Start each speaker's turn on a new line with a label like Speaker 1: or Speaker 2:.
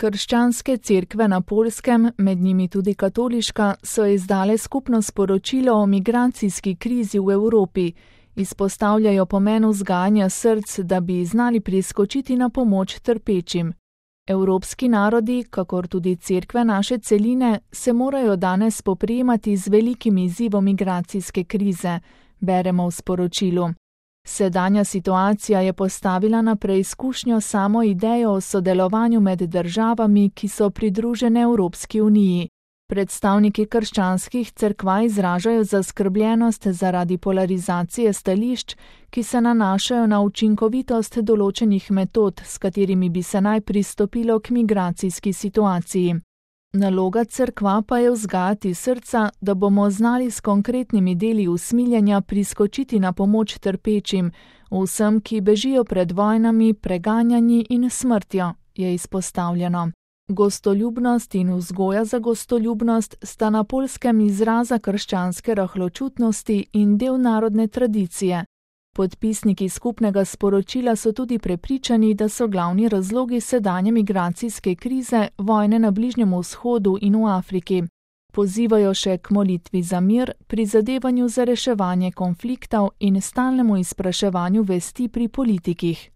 Speaker 1: Krščanske cerkve na Poljskem, med njimi tudi katoliška, so izdale skupno sporočilo o migracijski krizi v Evropi. Izpostavljajo pomen vzgajanja src, da bi znali priskočiti na pomoč trpečim. Evropski narodi, kakor tudi cerkve naše celine, se morajo danes spoprijemati z velikim izzivom migracijske krize, beremo v sporočilu. Sedanja situacija je postavila na preizkušnjo samo idejo o sodelovanju med državami, ki so pridružene Evropski uniji. Predstavniki krščanskih cerkva izražajo zaskrbljenost zaradi polarizacije stališč, ki se nanašajo na učinkovitost določenih metod, s katerimi bi se naj pristopilo k migracijski situaciji. Naloga cerkva pa je vzgajati srca, da bomo znali s konkretnimi deli usmiljenja priskočiti na pomoč trpečim, vsem, ki bežijo pred vojnami, preganjanji in smrtjo, je izpostavljeno. Gostoljubnost in vzgoja za gostoljubnost sta na Poljskem izraza krščanske rahločutnosti in del narodne tradicije. Podpisniki skupnega sporočila so tudi prepričani, da so glavni razlogi sedanje migracijske krize vojne na Bližnjem vzhodu in v Afriki. Pozivajo še k molitvi za mir, prizadevanju za reševanje konfliktov in stalnemu izpraševanju vesti pri politikih.